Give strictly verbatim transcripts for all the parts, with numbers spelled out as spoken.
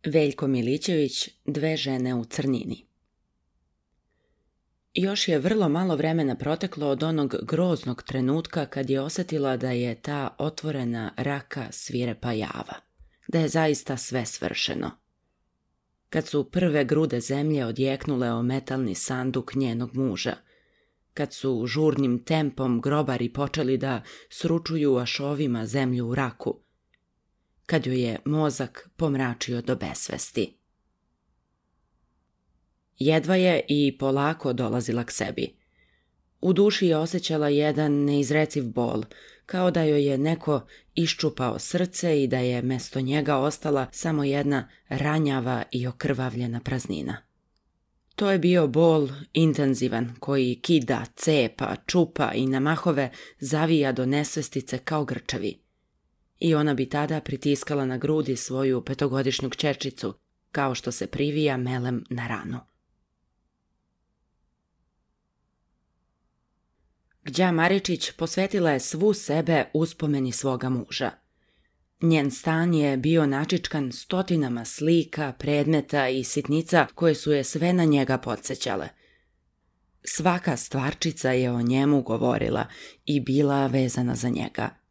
Veljko Milićević, Dve žene u crnini. Još je vrlo malo vremena proteklo od onog groznog trenutka kad je osjetila da je ta otvorena raka svirepa java, da je zaista sve svršeno. Kad su prve grude zemlje odjeknule o metalni sanduk njenog muža, kad su žurnim tempom grobari počeli da sručuju ašovima zemlju u raku, kad joj je mozak pomračio do besvesti. Jedva je i polako dolazila k sebi. U duši je osjećala jedan neizreciv bol, kao da joj je neko iščupao srce i da je mesto njega ostala samo jedna ranjava i okrvavljena praznina. To je bio bol intenzivan koji kida, cepa, čupa i na mahove zavija do nesvestice kao grčevi. I ona bi tada pritiskala na grudi svoju petogodišnju kćerčicu, kao što se privija melem na ranu. Gđa Maričić posvetila je svu sebe uspomeni svoga muža. Njen stan je bio načičkan stotinama slika, predmeta i sitnica koje su je sve na njega podsjećale. Svaka stvarčica je o njemu govorila i bila vezana za njega.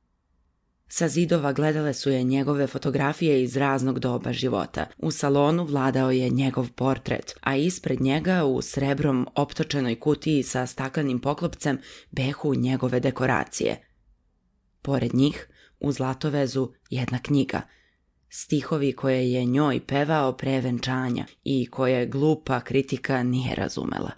Sa zidova gledale su je njegove fotografije iz raznog doba života. U salonu vladao je njegov portret, a ispred njega u srebrom optočenoj kutiji sa staklenim poklopcem behu njegove dekoracije. Pored njih, u zlatovezu, jedna knjiga. Stihovi koje je njoj pevao pre venčanja i koje glupa kritika nije razumela.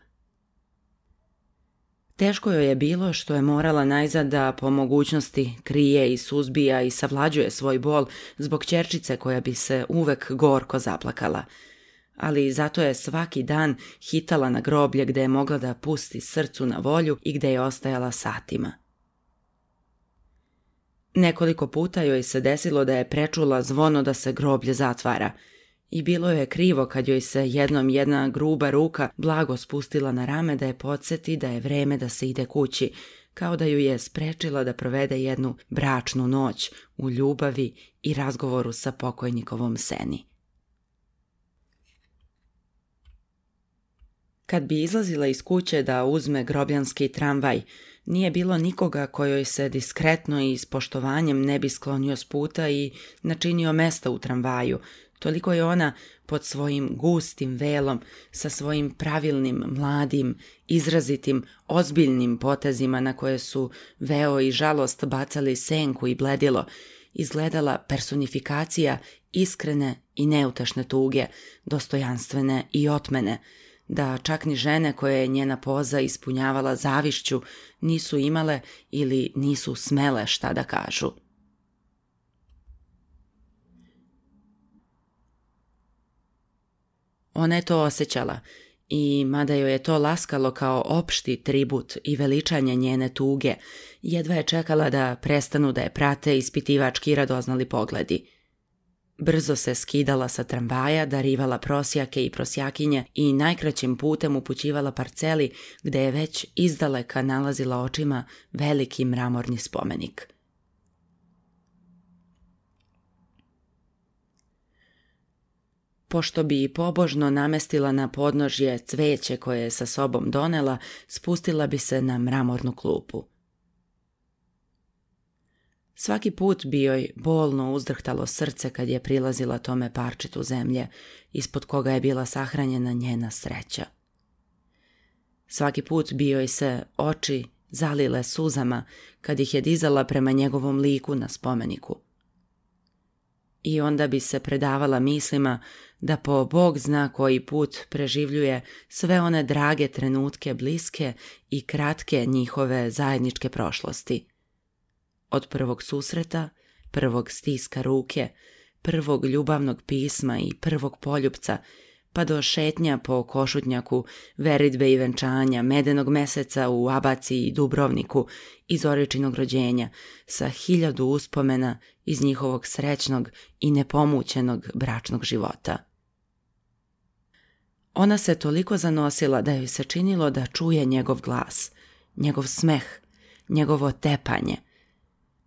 Teško joj je bilo što je morala najzad da po mogućnosti krije i suzbija i savlađuje svoj bol zbog ćerčice koja bi se uvek gorko zaplakala. Ali zato je svaki dan hitala na groblje gde je mogla da pusti srcu na volju i gde je ostajala satima. Nekoliko puta joj se desilo da je prečula zvono da se groblje zatvara i bilo je krivo kad joj se jednom jedna gruba ruka blago spustila na rame da je podsjeti da je vreme da se ide kući, kao da ju je sprečila da provede jednu bračnu noć u ljubavi i razgovoru sa pokojnikovom Seni. Kad bi izlazila iz kuće da uzme grobljanski tramvaj, nije bilo nikoga kojoj se diskretno i s poštovanjem ne bi sklonio s puta i načinio mesta u tramvaju. Toliko je ona pod svojim gustim velom, sa svojim pravilnim, mladim, izrazitim, ozbiljnim potezima na koje su veo i žalost bacali senku i bledilo, izgledala personifikacija iskrene i neutešne tuge, dostojanstvene i otmene, da čak ni žene koje je njena poza ispunjavala zavišću nisu imale ili nisu smele šta da kažu. Ona je to osjećala i, mada joj je to laskalo kao opšti tribut i veličanje njene tuge, jedva je čekala da prestanu da je prate ispitivački i radoznali pogledi. Brzo se skidala sa tramvaja, darivala prosjake i prosjakinje i najkraćim putem upućivala parceli gde je već izdaleka nalazila očima veliki mramorni spomenik. Pošto bi pobožno namestila na podnožje cveće koje je sa sobom donela, spustila bi se na mramornu klupu. Svaki put bi joj bolno uzdrhtalo srce kad je prilazila tome parčetu zemlje, ispod koga je bila sahranjena njena sreća. Svaki put bi joj se oči zalile suzama kad ih je dizala prema njegovom liku na spomeniku. I onda bi se predavala mislima da po Bog zna koji put preživljuje sve one drage trenutke bliske i kratke njihove zajedničke prošlosti. Od prvog susreta, prvog stiska ruke, prvog ljubavnog pisma i prvog poljupca, pa do šetnja po Košutnjaku, veridbe i venčanja, medenog meseca u Abaci i Dubrovniku i Zoričinog rođenja, sa hiljadu uspomena iz njihovog srećnog i nepomućenog bračnog života. Ona se toliko zanosila da joj se činilo da čuje njegov glas, njegov smeh, njegovo tepanje,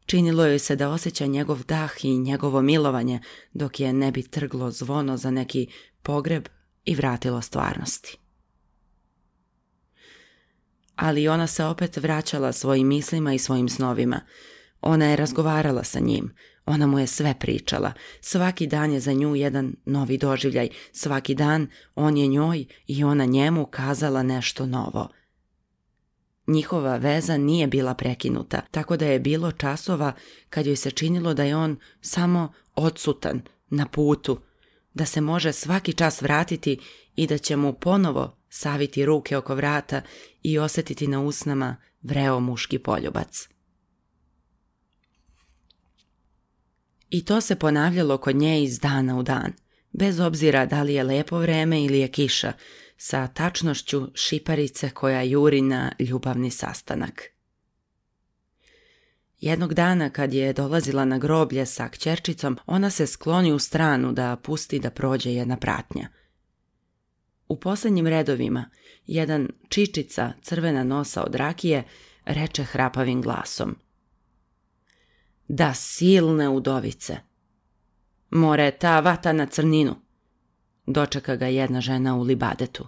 Činilo joj se da osjeća njegov dah i njegovo milovanje, dok je ne bi trglo zvono za neki pogreb i vratilo stvarnosti. Ali ona se opet vraćala svojim mislima i svojim snovima. Ona je razgovarala sa njim, ona mu je sve pričala. Svaki dan je za nju jedan novi doživljaj, svaki dan on je njoj i ona njemu kazala nešto novo. Njihova veza nije bila prekinuta, tako da je bilo časova kad joj se činilo da je on samo odsutan, na putu, da se može svaki čas vratiti i da će mu ponovo saviti ruke oko vrata i osjetiti na usnama vreo muški poljubac. I to se ponavljalo kod nje iz dana u dan, bez obzira da li je lepo vreme ili je kiša, sa tačnošću šiparice koja juri na ljubavni sastanak. Jednog dana kad je dolazila na groblje sa kćerčicom, ona se skloni u stranu da pusti da prođe jedna pratnja. U posljednjim redovima jedan čičica crvena nosa od rakije reče hrapavim glasom: "Da silne udovice! More ta vata na crninu!" Dočeka ga jedna žena u libadetu.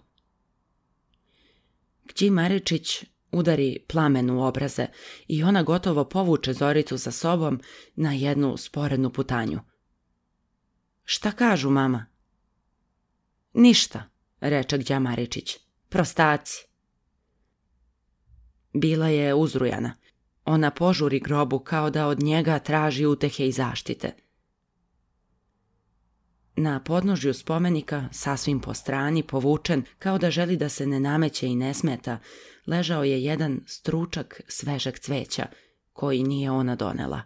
Kći Maričić udari plamen u obraze i ona gotovo povuče Zoricu za sobom na jednu sporednu putanju. "Šta kažu, mama?" "Ništa," reče Kća Maričić. "Prostaci." Bila je uzrujana. Ona požuri grobu kao da od njega traži utehe i zaštite. Na podnožju spomenika, sasvim po strani, povučen, kao da želi da se ne nameće i ne smeta, ležao je jedan stručak svežeg cveća, koji nije ona donela.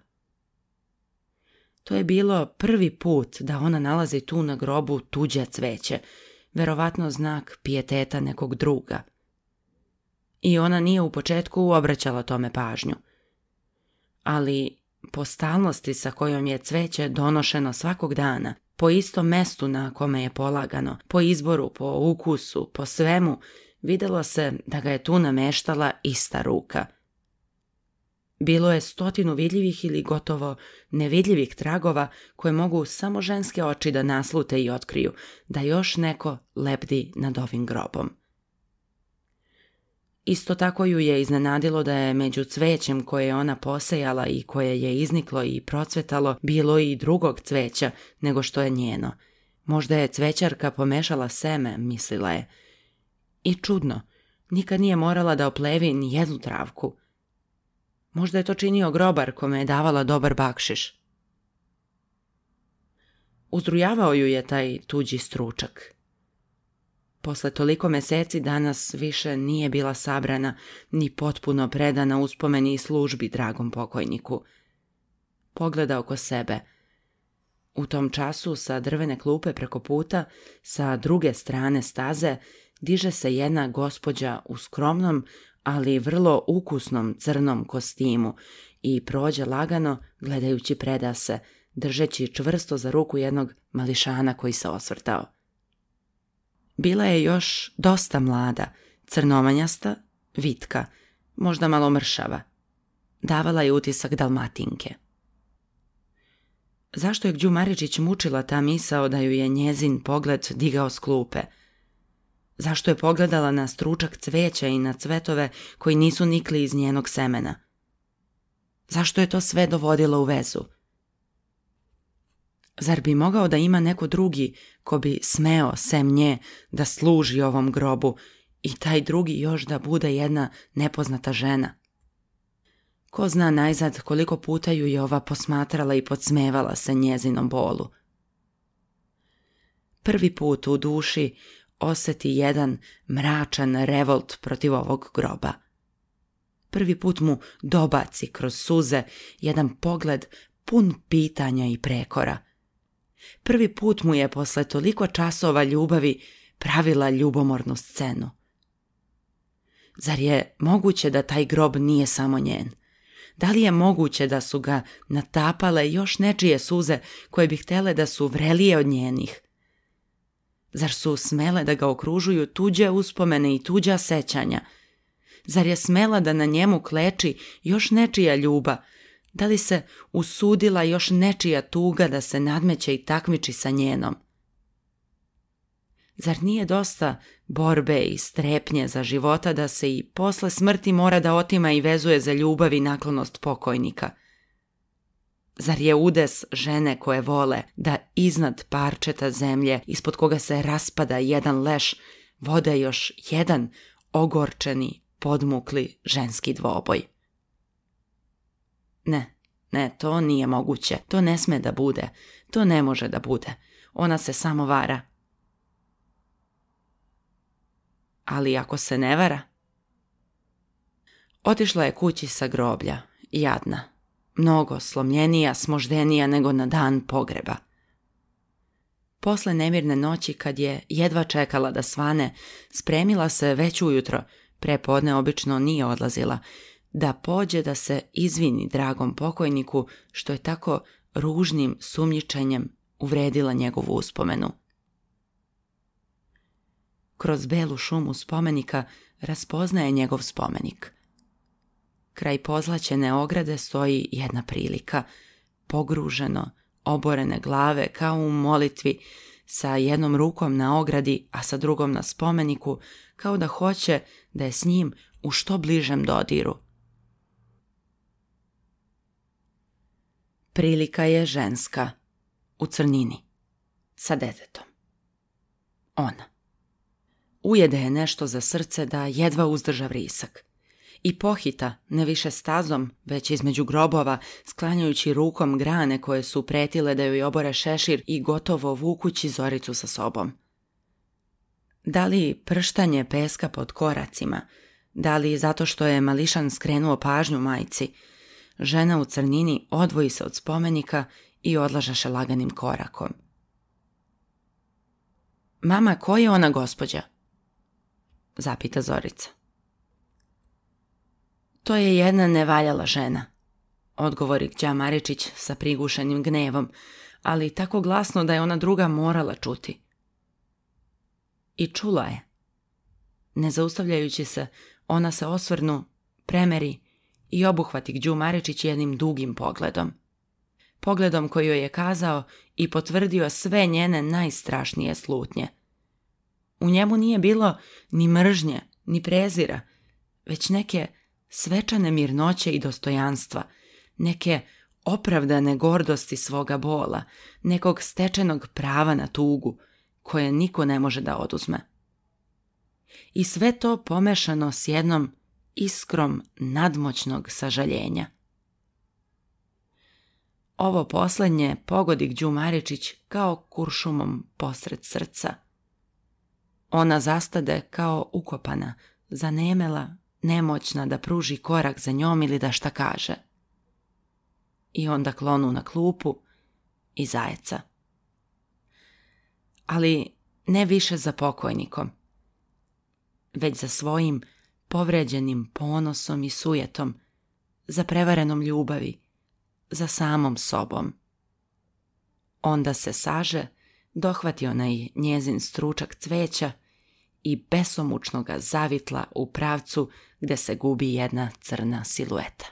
To je bilo prvi put da ona nalazi tu na grobu tuđe cveće, verovatno znak pijeteta nekog druga. I ona nije u početku obraćala tome pažnju. Ali po stalnosti sa kojom je cveće donošeno svakog dana, po istom mestu na kome je polagano, po izboru, po ukusu, po svemu, vidjelo se da ga je tu nameštala ista ruka. Bilo je stotinu vidljivih ili gotovo nevidljivih tragova koje mogu samo ženske oči da naslute i otkriju da još neko lebdi nad ovim grobom. Isto tako ju je iznenadilo da je među cvećem koje je ona posejala i koje je izniklo i procvetalo bilo i drugog cveća nego što je njeno. Možda je cvećarka pomešala seme, mislila je. I čudno, nikad nije morala da oplevi ni jednu travku. Možda je to činio grobar kome je davala dobar bakšiš. Uzrujavao ju je taj tuđi stručak. Posle toliko meseci danas više nije bila sabrana ni potpuno predana uspomeni i službi dragom pokojniku. Pogleda oko sebe. U tom času sa drvene klupe preko puta, sa druge strane staze, diže se jedna gospođa u skromnom, ali vrlo ukusnom crnom kostimu i prođe lagano gledajući predase, držeći čvrsto za ruku jednog mališana koji se osvrtao. Bila je još dosta mlada, crnomanjasta, vitka, možda malo mršava. Davala je utisak Dalmatinke. Zašto je Kđu Maričić mučila ta misao da ju je njezin pogled digao s klupe? Zašto je pogledala na stručak cveća i na cvetove koji nisu nikli iz njenog semena? Zašto je to sve dovodilo u vezu? Zar bi mogao da ima neko drugi ko bi smeo, sem nje, da služi ovom grobu i taj drugi još da bude jedna nepoznata žena? Ko zna najzad koliko puta ju je ova posmatrala i podsmevala se njezinom bolu. Prvi put u duši osjeti jedan mračan revolt protiv ovog groba. Prvi put mu dobaci kroz suze jedan pogled pun pitanja i prekora. Prvi put mu je posle toliko časova ljubavi pravila ljubomornu scenu. Zar je moguće da taj grob nije samo njen? Da li je moguće da su ga natapale još nečije suze koje bi htjele da su vrelije od njenih? Zar su smele da ga okružuju tuđe uspomene i tuđa sećanja? Zar je smela da na njemu kleči još nečija ljuba, Da li se usudila još nečija tuga da se nadmeće i takmiči sa njenom? Zar nije dosta borbe i strepnje za života da se i posle smrti mora da otima i vezuje za ljubav i naklonost pokojnika? Zar je udes žene koje vole da iznad parčeta zemlje ispod koga se raspada jedan leš vode još jedan ogorčeni, podmukli ženski dvoboj? Ne, ne, to nije moguće, to ne sme da bude, to ne može da bude, ona se samo vara. Ali ako se ne vara? Otišla je kući sa groblja, jadna, mnogo slomljenija, smoždenija nego na dan pogreba. Posle nemirne noći, kad je jedva čekala da svane, spremila se već ujutro, pre podne obično nije odlazila, da pođe da se izvini dragom pokojniku što je tako ružnim sumnjičenjem uvredila njegovu uspomenu. Kroz belu šumu spomenika raspoznaje njegov spomenik. Kraj pozlaćene ograde stoji jedna prilika, pogruženo, oborene glave kao u molitvi, sa jednom rukom na ogradi, a sa drugom na spomeniku, kao da hoće da je s njim u što bližem dodiru. Prilika je ženska, u crnini, sa detetom. Ona. Ujede je nešto za srce da jedva uzdrža vrisak. I pohita, ne više stazom, već između grobova, sklanjajući rukom grane koje su pretile da joj obore šešir i gotovo vukući Zoricu sa sobom. Da li prštanje peska pod koracima, da li zato što je mališan skrenuo pažnju majci, žena u crnini odvoji se od spomenika i odlažaše laganim korakom. Mama, ko je ona gospođa? Zapita Zorica. To je jedna nevaljala žena, odgovori Kća Maričić sa prigušenim gnevom, ali tako glasno da je ona druga morala čuti. I čula je. Ne zaustavljajući se, ona se osvrnu, premeri i obuhvati Kđu Maričić jednim dugim pogledom. Pogledom koji joj je kazao i potvrdio sve njene najstrašnije slutnje. U njemu nije bilo ni mržnje, ni prezira, već neke svečane mirnoće i dostojanstva, neke opravdane gordosti svoga bola, nekog stečenog prava na tugu, koje niko ne može da oduzme. I sve to pomešano s jednom iskrom nadmoćnog sažaljenja. Ovo posljednje pogodi Kđu Maričić kao kuršumom posred srca. Ona zastade kao ukopana, zanemela, nemoćna da pruži korak za njom ili da šta kaže. I onda klonu na klupu i zajeca. Ali ne više za pokojnikom, već za svojim povređenim ponosom i sujetom, za prevarenom ljubavi, za samom sobom. Onda se saže, dohvati onaj njezin stručak cveća i besomučno ga zavitla u pravcu gde se gubi jedna crna silueta.